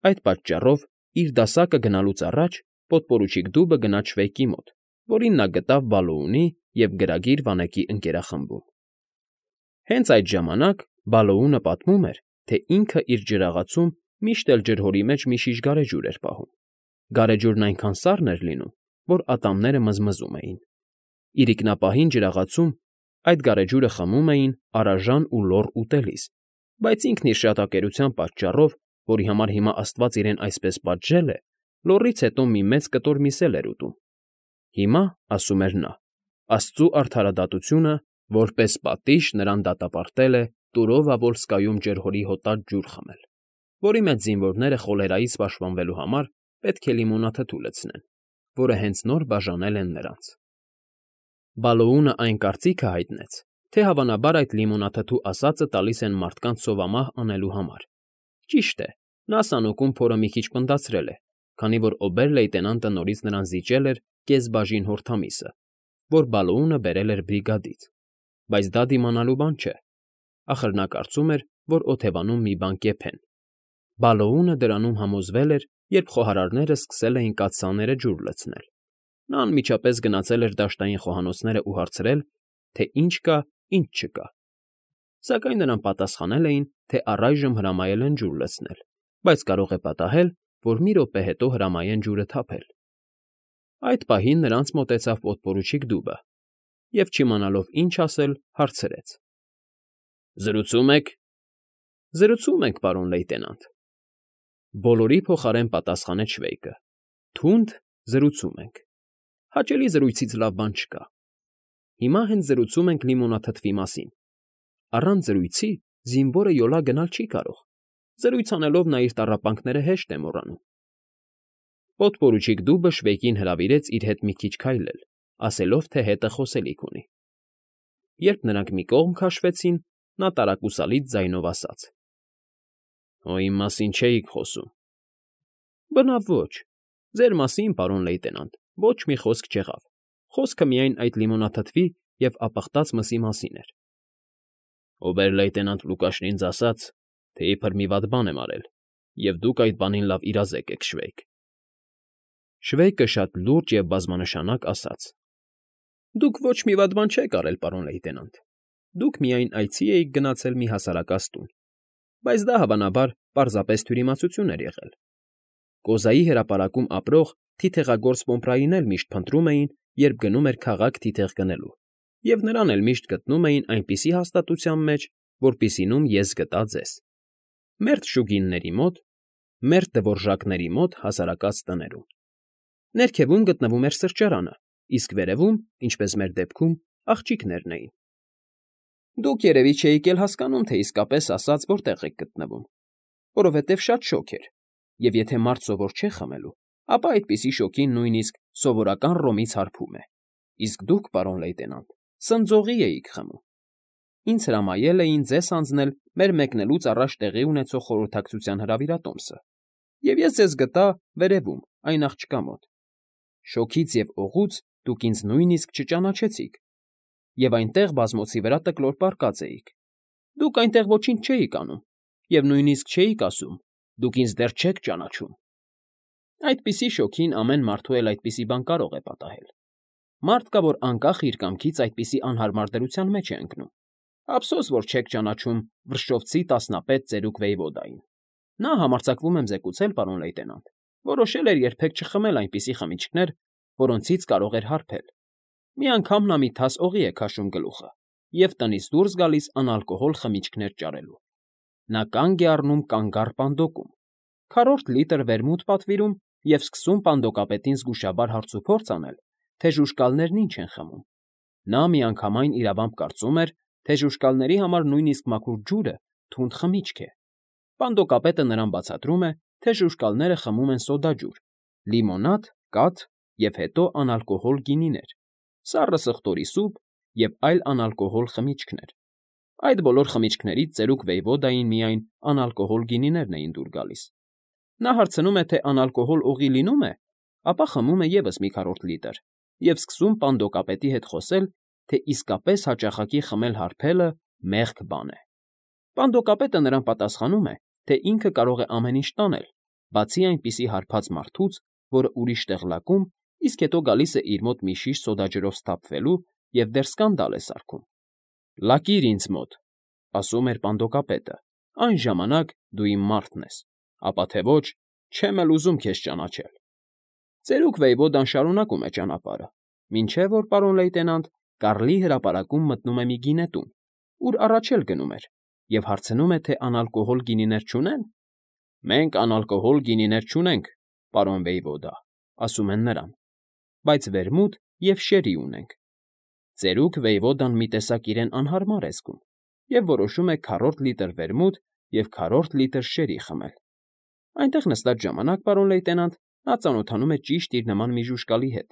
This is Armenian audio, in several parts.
Այդ պատճառով իր դասակը գնալուց առաջ պոդպորուչիկ դուբը գնաց Շվեյկի մոտ, որին նա գտավ Բալոունի և գրագիր վանեկի ընկերախմբում։ Հենց այդ ժամանակ Բալոունը պատմում էր, թե ինքը իր ջրաղացում միշտ էլ ջրհորի մեջ մի շիշ գարեջուր էր պահում։ Գարեջուրն այնքան սառն էր լինում, որ ատամները մզմզում էին։ Իրիկնապահին ջրաղացում այդ գարեջուրը խմում էին առաժան ու լոռ ուտելիս, բայց ինքն իր շատակերության պատճառով, որի համար հիմա Աստված իրեն այսպես պատժել է, լոռից հետո մի մեծ կտոր միս էլ էր ուտում։ Հիմա, ասում էր նա, Աստծու արդարադատությունը որպես պատիժ նրան դատապարտել է Տուրովա֊Վոլսկայում ջրհորի հոտած ջուր խմել, որի մեջ զինվորները խոլերայից պաշտպանվելու համար պետք է լիմոնաթթու լցնեն, որը հենց նոր բաժանել են նրանց։ Բալոունը այն կարծիքը հայտնեց, թե հավանաբար այդ լիմոնաթթու ասածը տալիս են մարդկանց սովամահ անելու համար։ Ճիշտ է, նա սանուկում փորը մի քիչ պնդացրել է, քանի որ օբեր֊լեյտենանտը նորից նրան զիջել էր կեսբաժին հորդամիսը, որ Բալոունը բերել էր բրիգադից, բայց դա դիմանալու բան չէ։ Ախր նա կարծում էր, որ օթևանում մի բան կեփեն։ Բալոունը դրանում համոզվել էր, երբ խոհարարները սկսել էին կաթսաները ջուր լցնել։ Նա անմիջապես գնացել էր դաշտային խոհանոցները ու հարցրել, թե ինչ կա, ինչ չկա։ Սակայն նրան պատասխանել էին, թե առայժմ հրամայել են ջուր լցնել, բայց կարող է պատահել, որ մի րոպե հետո հրամայեն ջուրը թափել։ Այդ պահին նրանց մոտեցավ պոդպորուչիկ դուբը և, չիմանալով ինչ ասել, հարցրեց. «Զրուցում եք»։ «Զրուցում ենք, պարոն լեյտենանտ»։ Բոլորի փոխարեն պատասխանեց Շվեյկը։ «Թունդ զրուցում ենք։ Հաճելի զրույցից լավ բան չկա։ Հիմա հենց զրուցում ենք լիմոնաթթվի մասին։ Առանց զրույցի զինվորը յոլա գնալ չի կարող։ Զրույց անելով նա իր տառապանքները հեշտ է մոռանում»։ Պոդպորուչիկ դուբը Շվեյկին հրավիրեց իր հետ մի քիչ քայլել, ասելով, թե հետը խոսելիք ունի։ Երբ նրանք մի կողմ քաշվեցին, նա տարակուսալից ձայնով ասաց. «Հո իմ մասին չէիք խոսում»։ «Բնավ ոչ։ Ձեր մասին, պարոն լեյտենանտ, ոչ մի խոսք չեղավ. խոսքը միայն այդ լիմոնաթթվի և ապխտած մսի մասին էր»։ «Օբեր֊լեյտենանտ Լուկաշն ինձ ասաց, թե իբր մի վատ բան եմ արել, և դուք այդ բանին լավ իրազեկ եք, Շվեյկ»։ Շվեյկը շատ լուրջ և բազմանշանակ ասաց. «Դուք ոչ մի վատ բան չեք արել, պարոն լեյտենանտ։ Դուք միայն այցի էիք գնացել մի հասարակած տուն, բայց դա, հավանաբար, պարզապես թյուրիմացություն էր եղել։ Կոզայի հրապարակում ապրող թիթեղագործ պոմպրային էլ միշտ փնտրում էին, երբ գնում էր քաղաք թիթեղ գնելու, և նրան էլ միշտ գտնում էին այնպիսի հաստատության մեջ, որպիսինում ես գտա ձեզ. մերթ շուգինների մոտ, մերթ դվորժակների մոտ հասարակած տներում։ Ներքևում գտնվում էր սրճարանը, իսկ վերևում, ինչպես մեր դեպքում, աղջիկներն էին։ Դուք երևի չէիք էլ հասկանում, թե իսկապես ասած որտեղ եք գտնվում, որովհետև շատ շոգ էր, և եթե մարդ սովոր չէ խմելու, ապա այդպիսի շոգին նույնիսկ սովորական ռոմից հարբում է, իսկ դուք, պարոն լեյտենանտ, սնձողի էիք խմում։ Ինձ հրամայել էին ձեզ հանձնել մեր մեկնելուց առաջ տեղի ունեցող խորհրդակցության հրավիրատոմսը, և ես ձեզ գտա վերևում, այն աղջկա մոտ։ Շոգից և օղուց դուք ինձ նույնիսկ չճանաչեցիք, և այնտեղ բազմոցի վրա տկլոր պառկած էիք։ Դուք այնտեղ ոչինչ չէիք անում, և նույնիսկ չէիք ասում. «Դուք ինձ դեռ չեք ճանաչում»։ Այդպիսի շոգին ամեն մարդու էլ այդպիսի բան կարող է պատահել։ Մարդ կա, որ անկախ իր կամքից այդպիսի անհարմար դրության մեջ է ընկնում։ Ափսոս, որ չեք ճանաչում Վրշովցի տասնապետ ծերուկ Վեյվոդային։ Նա, համարձակվում եմ զեկուցել, պարոն լեյտենանտ, որոշել էր երբեք չխմել այնպիսի խմիչքներ, որոնցից կարող էր հարբել։ Մի անգամ նա մի թաս օղի է քաշում գլուխը և տնից դուրս գալիս անալկոհոլ խմիչքներ ճարելու։ Նա կանգ է առնում կանգառ պանդոկում, քառորդ լիտր վերմուտ պատվիրում և սկսում պանդոկապետին զգուշաբար հարցուփորձ անել, թե ժուժկալներն ինչ են խմում։ Նա միանգամայն իրավամբ կարծում էր, թե ժուժկալների համար նույնիսկ մաքուր ջուրը թունդ խմիչք է։ Պանդոկապետը նրան բացատրում է, թե ժուժկալները խմում են սոդաջուր, լիմոնադ, կաթ և հետո անալկոհոլ գինիներ, սառը սխտորի սուպ և այլ անալկոհոլ խմիչքներ։ Այդ բոլոր խմիչքներից ծերուկ Վեյվոդային միայն անալկոհոլ գինիներն էին դուր գալիս։ Նա հարցնում է, թե անալկոհոլ օղի լինո՞ւմ է, ապա խմում է ևս մի քառորդ լիտր և սկսում պանդոկապետի հետ խոսել, թե իսկապես հաճախակի խմել հարբելը մեղք բան է։ Պանդոկապետը նրան պատասխանում է, թե ինքը կարող է ամեն ինչ տանել, բացի այնպիսի հարբած մարդուց, որը ուրիշ տեղ լակում, իսկ հետո գալիս է իր մոտ մի շիշ սոդաջրով սթափվելու և դեռ սկանդալ է սարքում։ «Լակիր ինձ մոտ», ասում էր պանդոկապետը, «այն ժամանակ դու իմ մարդն ես, ապա թե ոչ, չեմ էլ ուզում քեզ ճանաչել»։ Ծերուկ Վեյվոդան շարունակում է ճանապարհը, մինչև որ պարոն լեյտենանտ Կարլի հրապարակում մտնում է մի գինետուն, ուր առաջ էլ գնում էր, և հարցնում է, թե անալկոհոլ գինիներ չունեն։ «Մենք անալկոհոլ գինիներ չունենք, պարոն Վեյվոդա», ասում են նրան, «բայց վերմուտ և շերի ունենք»։ Ծերուկ Վեյվոդան մի տեսակ իրեն անհարմար է զգում և որոշում է քառորդ լիտր վերմուտ և քառորդ լիտր շերի խմել։ Այնտեղ նստած ժամանակ, պարոն լեյտենանտ, նա ծանոթանում է ճիշտ իր նման մի ժուժկալի հետ։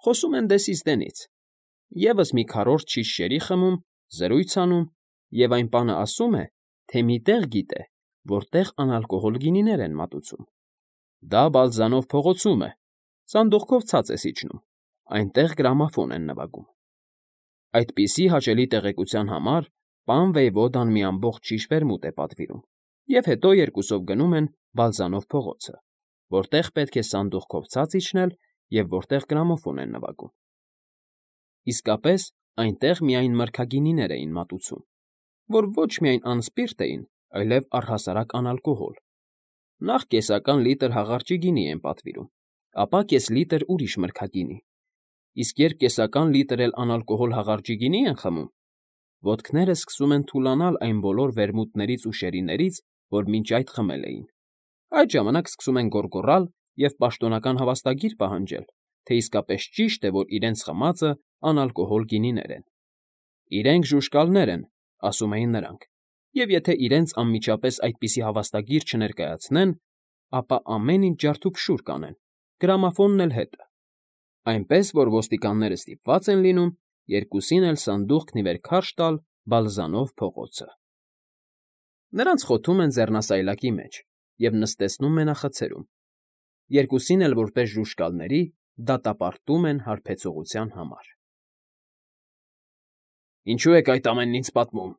Խոսում են դեսից դենից, ևս մի քառորդ շիշ շերի խմում, զրույց անում, և այն պանը ասում է, թե մի տեղ գիտե, որտեղ անալկոհոլ գինիներ են մատուցում։ Դա Բալզանով փողոցում է, սանդուղքով ցած ես իջնում, այնտեղ գրամոֆոն են նվագում։ Այդպիսի հաճելի տեղեկության համար պան Վեյվոդան մի ամբողջ շիշ վերմուտ է պատվիրում, և հետո երկուսով գնում են Բալզանով փողոցը, որտեղ պետք է սանդուղքով ցած իջնել և որտեղ գրամոֆոն են նվագում։ Իսկապես, այնտեղ միայն մրգագինիներ էին մատուցում, որ ոչ միայն անսպիրտ էին, այլև առհասարակ անալկոհոլ։ Նախ կեսական լիտր հաղարջի գինի են պատվիրում, ապա կես լիտր ուրիշ մրգագինի, իսկ երբ կեսական լիտր էլ անալկոհոլ հաղարջի գինի են խմում, ոտքները սկսում են թուլանալ այն բոլոր վերմուտներից ու շերիներից, որ մինչ այդ խմել էին։ Այդ ժամանակ սկսում են գոռգոռալ և պաշտոնական հավաստագիր պահանջել, թե իսկապես ճիշտ է, որ իրենց խմածը անալկոհոլ գինիներ են։ «Իրենք ժուժկալներ են», ասում էին նրանք, և եթե իրենց անմիջապես այդպիսի հավաստագիր չներկայացնեն, ապա ամեն ինչ ջարդուփշուր կանեն, գրամոֆոնն էլ հետը։ Այնպես որ ոստիկանները ստիպված են լինում երկուսին էլ սանդուղքն ի վեր քարշ տալ Բալզանով փողոցը։ Նրանց խոթում են ձեռնասայլակի մեջ և նստեցնում մենախցերում։ Երկուսին էլ որպես ժուժկալների դատապարտում են հարբեցողության համար։ «Ինչո՞ւ եք այդ ամենն ինձ պատմում»,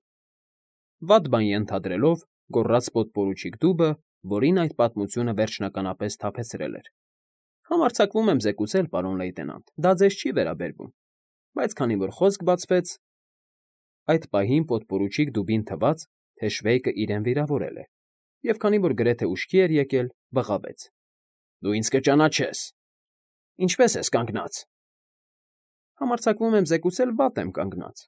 վատ բան ենթադրելով գոռաց պոդպորուչիկ Դուբը, որին այդ պատմությունը վերջնականապես սթափեցրել էր։ «Համարձակվում եմ զեկուցել, պարոն լեյտենանտ, դա ձեզ չի վերաբերվում, բայց քանի որ խոսք բացվեց…» Այդ պահին պոդպորուչիկ Դուբին թվաց, թե Շվեյկը իրեն վիրավորել է, և քանի որ գրեթե ուշքի էր եկել, բղավեց. «Դու ինձ կճանաչես… Ինչպե՞ս ես կանգնած»։ «Համարձակվում եմ զեկուցել, վատ եմ կանգնած…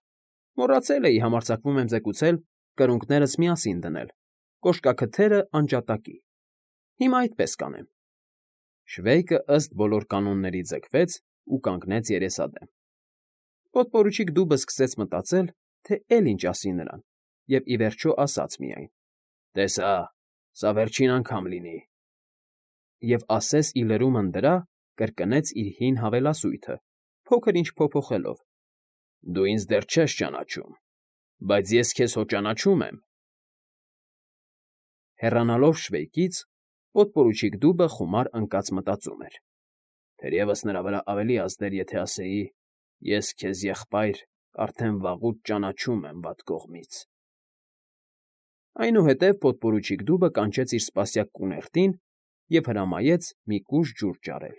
Մոռացել էի, համարձակվում եմ զեկուցել, կրունկներս միասին դնել, կոշկաքթերը անջատակի… Հիմա այդպես կանեմ»։ Շվեյկը ըստ բոլոր կանոնների ձգվեց ու կանգնեց երեսադեմ։ Պոդպորուչիկ Դուբը սկսեց մտածել, թե էլ ինչ ասի նրան, և ի վերջո ասաց միայն. «Տես հա, սա վերջին անգամ լինի»։ Եվ ասես ի լրումն դրա, կրկնեց իր հին հավելասույթը, փոքր֊ինչ փոփոխելով. «Դու ինձ դեռ չես ճանաչում, բայց ես քեզ հո ճանաչում եմ»։ Հեռանալով Շվեյկից, պոդպորուչիկ Դուբը խումար ընկած մտածում էր. «Թերևս նրա վրա ավելի ազդեր, եթե ասեի. ես քեզ, եղբայր, արդեն վաղուց ճանաչում եմ վատ կողմից»։ Այնուհետև պոդպորուչիկ Դուբը կանչեց իր սպասյակ կուներտին և հրամայեց մի կուժ ջուր ջարել։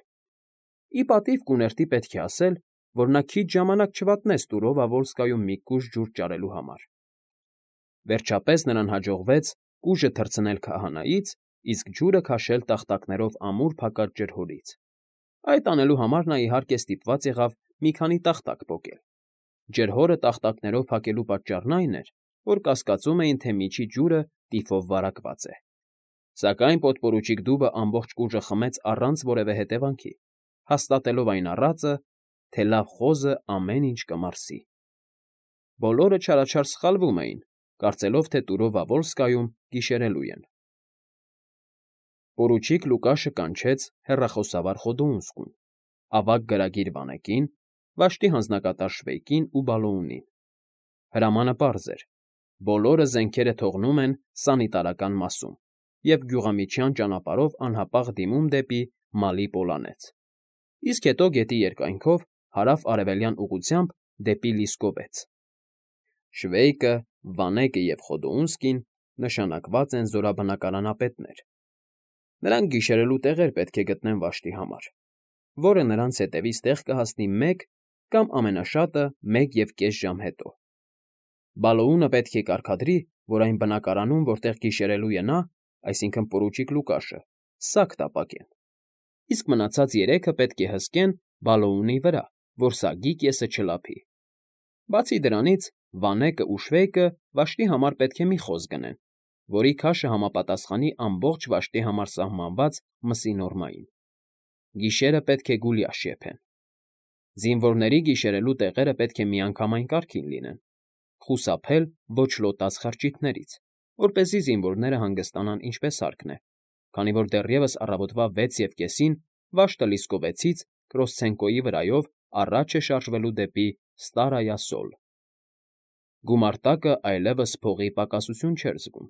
Ի պատիվ կուներտի պետք է ասել, որ նա քիչ ժամանակ չվատնեց Տուրովա֊Վոլսկայում մի կուժ ջուր ջարելու համար։ Վերջապես նրան հաջողվեց կուժը թռցնել քահանայից, իսկ ջուրը քաշել տախտակներով ամուր փակած ջրհորից։ Այդ անելու համար նա իհարկե ստիպված եղավ մի քանի տախտակ պոկել։ Ջրհորը տախտակներով փակելու պատճառն այն էր, որ կասկածում էին, թե միջի ջուրը տիֆով վարակված է։ Սակայն պոդպորուչիկ Դուբը ամբողջ կուժը խմեց առանց որևէ հետևանքի, հաստատելով այն առածը, թե լավ խոզը ամեն ինչ կմարսի։ Բոլորը չարաչար սխալվում էին, կարծելով, թե Տուրովա֊Վոլսկայում գիշերելու են։ Պորուչիկ Լուկաշը կանչեց հեռախոսավար Խոդոունսկուն, ավագ գրագիր Վանեկին, վաշտի հանձնակատար Շվեյկին ու Բալոունին։ Հրամանը պարզ էր. բոլորը զենքերը թողնում են սանիտարական մասում և գյուղամիջյան ճանապարհով անհապաղ դիմում դեպի Մալի Պոլանեց, իսկ հետո գետի երկայնքով հարավ֊արևելյան ուղղությամբ դեպի Լիսկովեց։ Շվեյկը, Վանեկը և Խոդոունսկին նշանակված են զորաբնակարանապետներ։ Նրանք գիշերելու տեղեր պետք է գտնեն վաշտի համար, որը նրանց հետևից տեղ կհասնի 1 կամ ամենաշատը 1.5 ժամ հետո։ Բալոունը պետք է կարգադրի, որ այն բնակարանում, որտեղ գիշերելու է նա, այսինքն պորուչիկ Լուկաշը, սակ տապակեն, իսկ մնացած 3-ը պետք է հսկեն Բալոունի վրա, որ սագի կեսը չլափի։ Բացի դրանից, Վանեկը ու Շվեյկը վաշտի համար պետք է մի խոզ գնեն, որի քաշը համապատասխանի ամբողջ վաշտի համար սահմանված մսի նորմային։ Գիշերը պետք է գուլյաշ եփեն։ Զինվորների գիշերելու տեղերը պետք է միանգամայն կարգին լինեն, խուսափել ոչ լոտած խրճիթներից, որպեսզի զինվորները հանգստանան ինչպես հարկն է, քանի որ դեռևս առավոտվա 6:30-ին վաշտը Լիսկովեցից Կրոսցենկոյի վրայով առաջ է շարժվելու դեպի Ստարայասոլ։ Գումարտակը այլևս փողի պակասություն չէր զգում։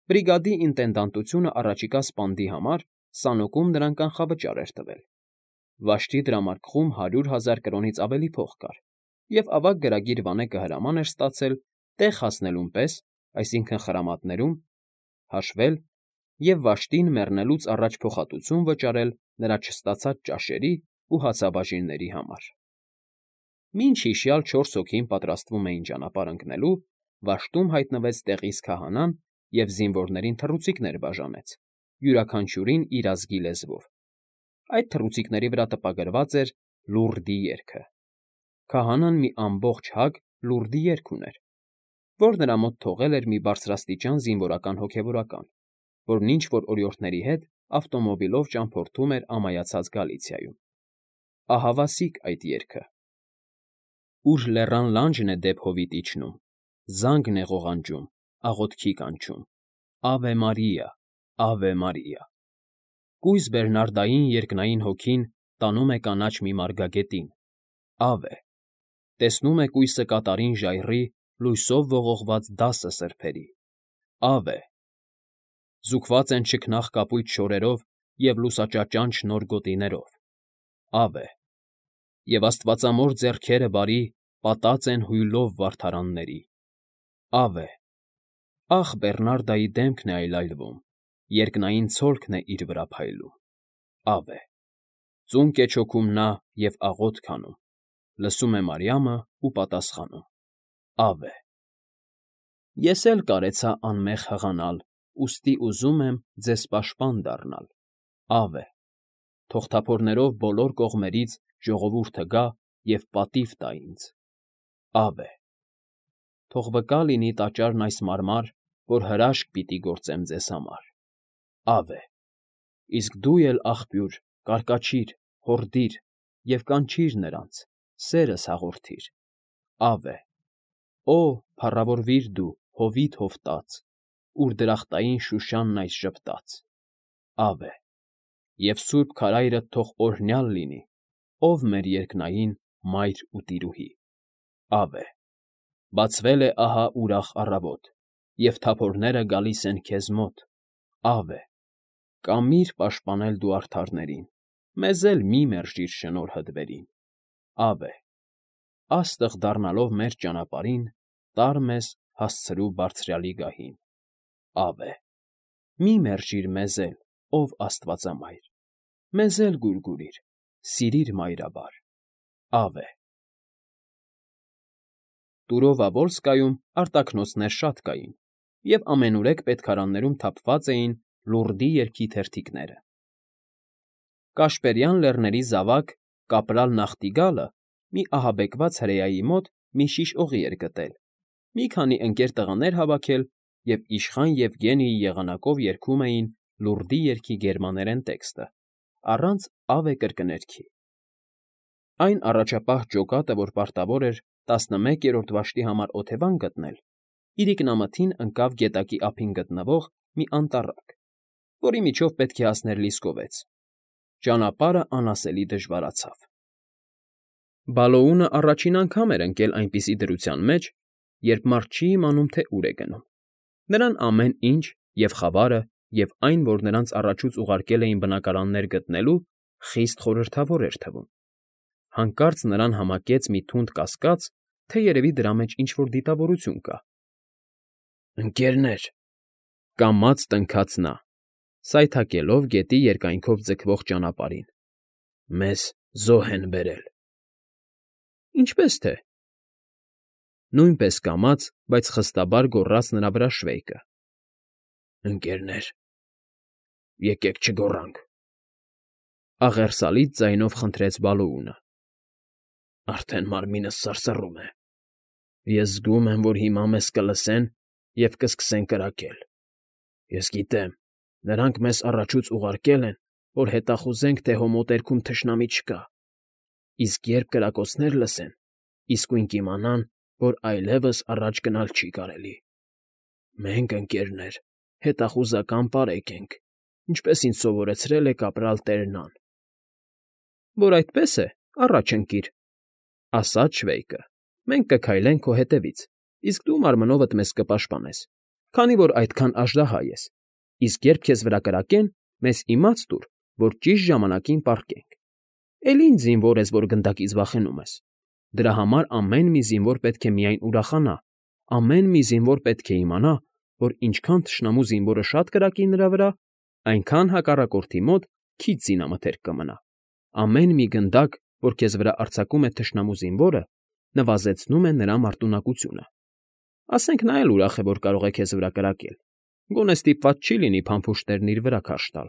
Բրիգադի ինտենդանտությունը առաջիկա սպանդի համար Սանոկում նրան կանխավճար էր տվել։ Վաշտի դրամարկղում 100,000 կրոնից ավելի փող կար, և ավագ գրագիր Վանեկը հրաման էր ստացել տեղ հասնելուն պես, այսինքն խրամատներում, հաշվել և վաշտին մեռնելուց առաջ փոխհատուցում վճարել նրա չստացած ճաշերի ու հացաբաժինների համար։ Մինչ հիշյալ 4 հոգին պատրաստվում էին ճանապարհ ընկնելու, վաշտում հայտնվեց տեղիս քահանան և զինվորներին թռուցիկներ բաժանեց, յուրաքանչյուրին իր ազգի լեզվով։ Այդ թռուցիկների վրա տպագրված էր լուրդի երգը։ Քահանան մի ամբողջ հագ լուրդի երգ ուներ, որ նրա մոտ թողել էր մի բարձրաստիճան զինվորական հոգևորական, որն ինչ-որ օրիորդների հետ ավտոմոբիլով ճամփորդում էր ամայացած Գալիցիայում։ Ահավասիկ այդ երգը. Ուր լեռան լանջն է դեպ հովիտ իջնում, զանգն է ղողանջում, աղոթքի կանչում, Ավե Մարիա, Ավե Մարիա։ Կույս բեռնարդային երկնային հոգին տանում է կանաչ մի մարգագետին, Ավե։ Տեսնում է կույսը կատարին ժայռի, լույսով ողողված 10 սրբերի, Ավե։ Զուգված են չքնաղ կապույտ շորերով և լուսաճաճանչ նոր գոտիներով, Ավե։ Եվ աստվածամոր ձեռքերը բարի պատած են հույլով վարդարանների, Ավե։ Ախ, Բեռնարդայի դեմքն է այլայլվում, երկնային ցոլքն է իր վրա փայլում, Ավե։ Ծունկ է չոքում նա և աղոթք անում, լսում է Մարիամը ու պատասխանում, Ավե։ Ես էլ կարեցա անմեղ հղանալ, ուստի ուզում եմ ձեզ պաշտպան դառնալ, Ավե։ Թող թափորներով բոլոր կողմերից ժողովուրդը գա և պատիվ տա ինձ, Ավե։ Թող վկա լինի տաճարն այս մարմար, որ հրաշք պիտի գործեմ ձեզ համար, Ավե։ Իսկ դու էլ, աղբյուր, կարկաչիր, հորդիր և կանչիր նրանց, սերս հաղորդիր, Ավե։ Օ, փառավորվիր դու, հովիտ հովտած, ուր դրախտային Շուշանն այս ժպտաց, Ավե։ Եվ սուրբ քարայրդ թող օրհնյալ լինի, ով մեր երկնային մայր ու տիրուհի, Ավե։ Բացվել է ահա ուրախ առավոտ, և թափորները գալիս են քեզ մոտ, Ավե։ Կամիր պաշտպանել դու արդարներին, մեզ էլ մի մերժիր շնորհդ վերին, Ավե։ Աստղ դառնալով մեր ճանապարհին, տար մեզ հասցրու Բարձրյալի գահին, Ավե։ Մի մերժիր մեզ էլ, ով Աստվածամայր, մեզ էլ գուրգուրիր, սիրիր մայրաբար, Ավե։ Տուրովա֊Վոլսկայում արտաքնոցներ շատ կային, և ամենուրեք պետքարաններում թափված էին լուրդի երգի թերթիկները։ Կաշպերյան Լեռների զավակ Կապրալ Նախտիգալը մի ահաբեկված հրեայի մոտ մի շիշ օղի էր գտել, մի քանի ընկեր տղաներ հավաքել և իշխան Եվգենիի եղանակով երգում էին լուրդի երգի գերմաներեն տեքստը, առանց «Ավե» կրկներգի։ Այն առաջապահ ջոկատը, որ պարտավոր էր 11-րդ վաշտի համար օթևան գտնել, իրիկնամթին ընկավ գետակի ափին գտնվող մի անտառակ, որի միջով պետք է հասներ Լիսկովեց։ Ճանապարհը անասելի դժվարացավ։ Բալոունը առաջին անգամ էր ընկել այնպիսի դրության մեջ, երբ մարդ չի իմանում, թե ուր է գնում։ Նրան ամեն ինչ, և խավարը, և այն, որ նրանց առաջուց ուղարկել էին բնակարաններ գտնելու, խիստ խորհրդավոր էր թվում։ Հանկարծ նրան համակեց մի թունդ կասկած, թե երևի դրա մեջ ինչ֊որ դիտավորություն կա։ «Ընկերներ,֊ կամաց տնքաց նա,֊ սայթաքելով գետի երկայնքով ձգվող ճանապարհին։ Մեզ զոհ են բերել։ Ինչպե՞ս թե։ Նույնպես կամաց, բայց խստաբար գոռաց նրա վրա Շվեյկը։ Ընկերներ, եկեք չգոռանք, աղերսալից ձայնով խնդրեց Բալոունը։ Արդեն մարմինս սարսռում է։ Ես զգում եմ, որ հիմա մեզ կլսեն և կսկսեն կրակել։ Ես գիտեմ, նրանք մեզ առաջուց ուղարկել են, որ հետախուզենք, թե հո մոտերքում թշնամի չկա, իսկ երբ կրակոցներ լսեն, իսկույն կիմանան, որ այլևս առաջ գնալ չի կարելի։ Մենք, ընկերներ, հետախուզական պարեկ ենք, ինչպես ինձ սովորեցրել է կապրալ Տերնան։ Որ այդպես է, առաջ ընկիր, ասաց Շվեյկը։ Մենք կքայլենք քո հետևից, իսկ դու մարմնովդ մեզ կպաշտպանես, քանի որ այդքան աժդահա ես, իսկ երբ քեզ վրա կրակեն, մեզ իմաց տուր, որ ճիշտ ժամանակին պառկենք։ Էլի ինչ զինվոր ես, որ գնդակից վախենում ես։ Դրա համար ամեն մի զինվոր պետք է միայն ուրախանա, ամեն մի զինվոր պետք է իմանա, որ ինչքան թշնամու զինվորը շատ կրակի նրա վրա, այնքան հակառակորդի մոտ քիչ զինամթերք կմնա։ Ամեն մի գնդակ, որ քեզ վրա արձակում է թշնամու զինվորը, նվազեցնում է նրա մարտունակությունը։ Ասենք նա էլ ուրախ է, որ կարող է քեզ վրա կրակել, գոնե ստիպված չի լինի փամփուշտներն իր վրա քարշ տալ,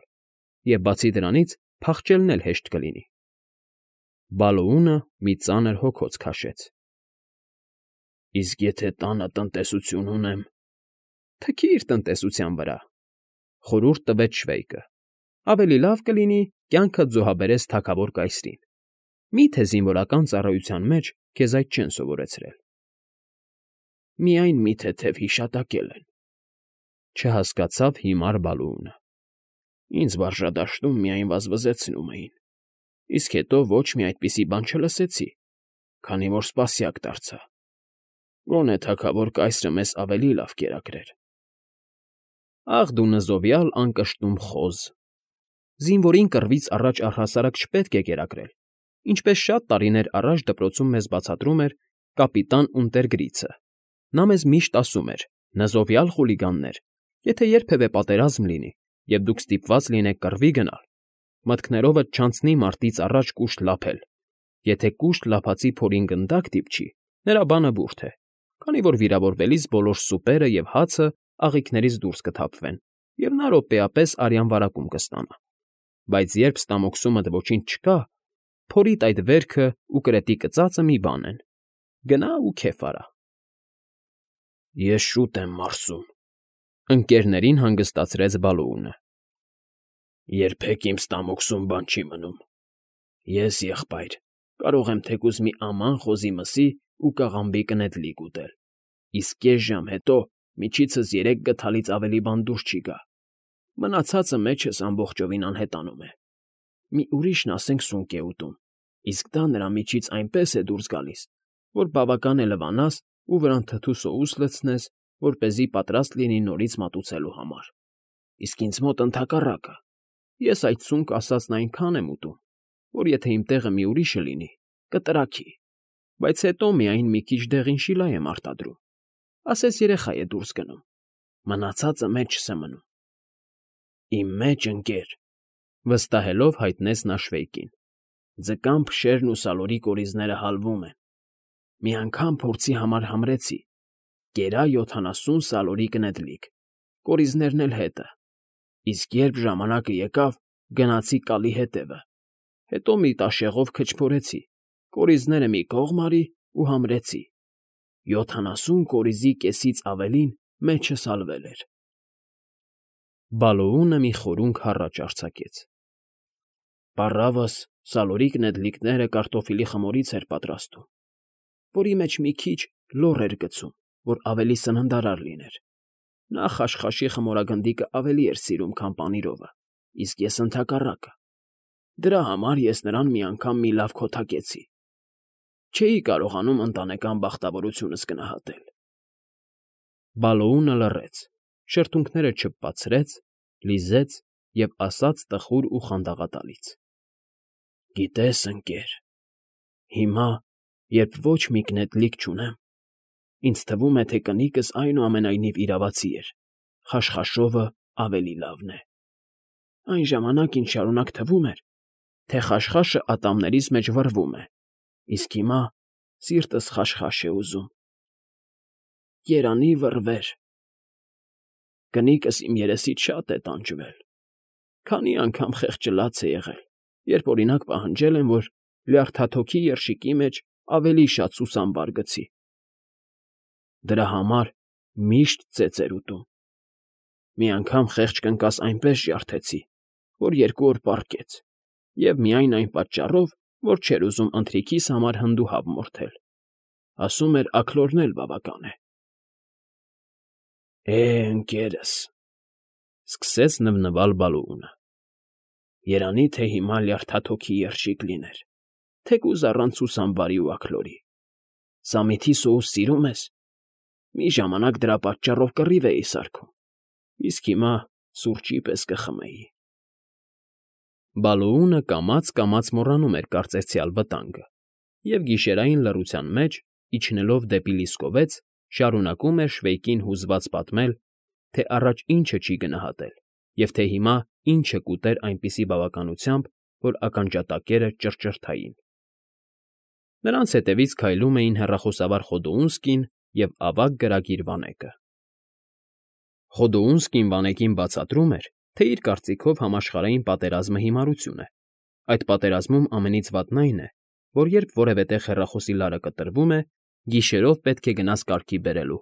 և բացի դրանից փախչելն էլ հեշտ կլինի։ Բալոունը մի ծանր հոգոց քաշեց։ Իսկ եթե տանը տնտեսություն ունեմ, թքիր տնտեսության վրա, խորհուրդ տվեց Շվեյկը։ Ավելի լավ կլինի կյանքդ զոհաբերես թագավոր կայսրին։ Մի՞թե զինվորական ծառայության մեջ քեզ այդ չեն սովորեցրել։ Միայն մի թեթև հիշատակել են, չհասկացավ հիմար Բալոունը։ Ինձ վարժադաշտում միայն վազվզեցնում էին, իսկ հետո ոչ մի այդպիսի բան չլսեցի, քանի որ սպասյակ դարձա։ Գոնե թագավոր կայսրը մեզ ավելի լավ կերակրեր։ Ախ դու նզովյալ անկշտում խոզ։ Զինվորին կռվից առաջ առհասարակ չպետք է կերակրել, ինչպես շատ տարիներ առաջ դպրոցում մեզ բացատրում էր կապիտան Ունտերգրիցը։ Նա մեզ միշտ ասում էր. նզովյալ խուլիգաններ, եթե երբևէ պատերազմ լինի, և դուք ստիպված լինեք կռվի գնալ, մտքներովդ չանցնի մարտից առաջ կուշտ լափել։ Եթե կուշտ լափածի փորին գնդակ դիպչի, նրա բանը բուրդ է, քանի որ վիրավորվելիս բոլոր սուպերը և հացը աղիքներից դուրս կթափվեն, և նա րոպեապես արյան վարակում կստանա։ Բայց երբ ստամոքսումդ ոչինչ չկա, փորիդ այդ վերքը ու կրետի կծածը մի բան են։ Գնա ու քեֆ արա։ Ես շուտ եմ մարսում, ընկերներին հանգստացրեց Բալոունը։ Երբեք իմ ստամոքսում բան չի մնում։ Ես, եղբայր, կարող եմ թեկուզ մի աման խոզի մսի ու կաղամբի կնեդլիկ ուտել, իսկ կես ժամ հետո միջիցս 3 գդալից ավելի բան դուրս չի գա։ Մնացածը մեջս ամբողջովին անհետանում է։ Մի ուրիշն ասենք սունկ է ուտում, իսկ դա նրա միջից այնպես է դուրս գալիս, որ բավական է լվանաս ու վրան թթու սոուս լցնես, որպեսզի պատրաստ լինի նորից մատուցելու համար։ Իսկ ինձ մոտ ընդհակառակը, ես այդ սունկ ասածն այնքան եմ ուտում, որ եթե իմ տեղը մի ուրիշը լինի, կտրաքի, բայց հետո միայն մի քիչ դեղին շիլա եմ արտադրում, ասես երեխա է դուրս գնում, մնացածը մեջս է մնում։ Իմ մեջ, ընկեր, վստահելով հայտնեց նա Շվեյկին, ձկան փշերն ու սալորի կորիզները հալվում են։ Մի անգամ փորձի համար համրեցի, կերա 70 սալորի կնեդլիկ, կորիզներն էլ հետը, իսկ երբ ժամանակը եկավ, գնացի կալի հետևը, հետո մի տաշեղով քչփորեցի, կորիզները մի կողմ արի ու համրեցի, 70 կորիզի կեսից ավելին մեջս հալվել էր։ Բալոունը մի խորունգ հառաչ արձակեց։ Պառավս սալորի կնեդլիկները կարտոֆիլի խմորից էր պատրաստում, որի մեջ մի քիչ լոռ էր գցում, որ ավելի սննդարար լիներ։ Նա խաշխաշի խմորագնդիկը ավելի էր սիրում, քան պանիրովը, իսկ ես ընդհակառակը։ Դրա համար ես նրան մի անգամ մի լավ քոթակեցի։ Չէի կարողանում ընտանեկան բախտավորությունս գնահատել։ Բալոունը լռեց, շրթունքները չպպացրեց, լիզեց և ասաց տխուր ու խանդաղատալից. Գիտես, ընկեր, հիմա, երբ ոչ մի կնեդլիկ չունեմ, ինձ թվում է, թե կնիկս այնուամենայնիվ իրավացի էր, խաշխաշովը ավելի լավն է։ Այն ժամանակ ինձ շարունակ թվում էր, թե խաշխաշը ատամներիս մեջ վռվում է, իսկ հիմա սիրտս խաշխաշ է ուզում։ Երանի վռվեր։ Կնիկս իմ երեսից շատ է տանջվել։ Քանի անգամ խեղճը լաց է եղել, երբ օրինակ պահանջել եմ, որ լյարդաթոքի երշիկի մեջ ավելի շատ սուսամբար գցի։ Դրա համար միշտ ծեծեր ուտում։ Մի անգամ խեղճ կնկաս այնպես ջարդեցի, որ 2 օր պառկեց, և միայն այն պատճառով, որ չէր ուզում ընթրիքիս համար հնդուհավ մորթել։ Ասում էր աքլորն էլ բավական է։ Ընկերս,֊ սկսեց նվնվալ Բալոունը,֊ երանի թե հիմա լյարդաթոքի երշիկ լիներ, թեկուզ առանց սուսամբարի ու աքլորի։ Սամիթի սոուս սիրում ես։ Մի ժամանակ դրա պատճառով կռիվ էի սարքում, իսկ հիմա սուրճի պես կխմեի։ Բալոունը կամաց մոռանում էր կարծեցյալ վտանգը և գիշերային լռության մեջ, իջնելով դեպի լիսկովեց, շարունակում էր Շվեյկին հուզված պատմել, թե առաջ ինչը չի գնահատել և թե հիմա ինչը կուտեր այնպիսի բավականությամբ, որ ականջատակերը ճռճռթային։ Նրանց հետևից քայլում էին հեռախոսավար Խոդոունսկին և ավագ գրագիր Վանեկը։ Խոդոունսկին Վանեկին բացատրում էր, թե իր կարծիքով համաշխարհային պատերազմը հիմարություն է։ Այդ պատերազմում ամենից վատն այն է, որ երբ որևէ տեղ հեռախոսի լարը կտրվում է, գիշերով պետք է գնաս կարգի բերելու,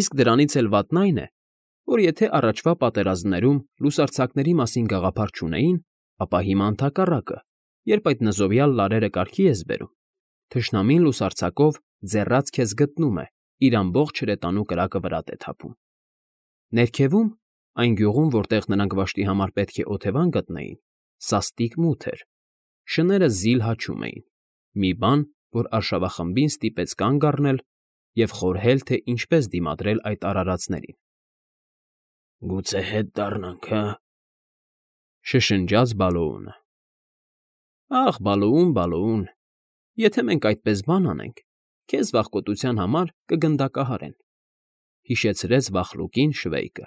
իսկ դրանից էլ վատն այն է, որ եթե առաջվա պատերազմներում լուսարձակների մասին գաղափար չունեին, ապա հիմա ընդհակառակը, երբ այդ նզովյալ լարերը կարգի ես բերում, թշնամին լուսարձակով ձեռած քեզ գտնում է, իր ամբողջ հրետանու կրակը վրատ է թափում։ Ներքևում, այն գյուղում, որտեղ նրանք վշտի համար պետք է օթևան գտնեին, սաստիկ մութ էր, շները զիլ հաչում էին, մի բան, որ արշավախմբին ստիպեց կանգ առնել և խորհել, թե ինչպես դիմադրել այդ արարածներին։ Գուցե հետ դառնանք, հը՞,֊ շշնջաց Բալոունը։ Ախ, Բալոուն, եթե մենք այդպես բան անենք, քեզ վախկոտության համար կգնդակահարեն,֊ հիշեցրեց վախլուկին Շվեյկը։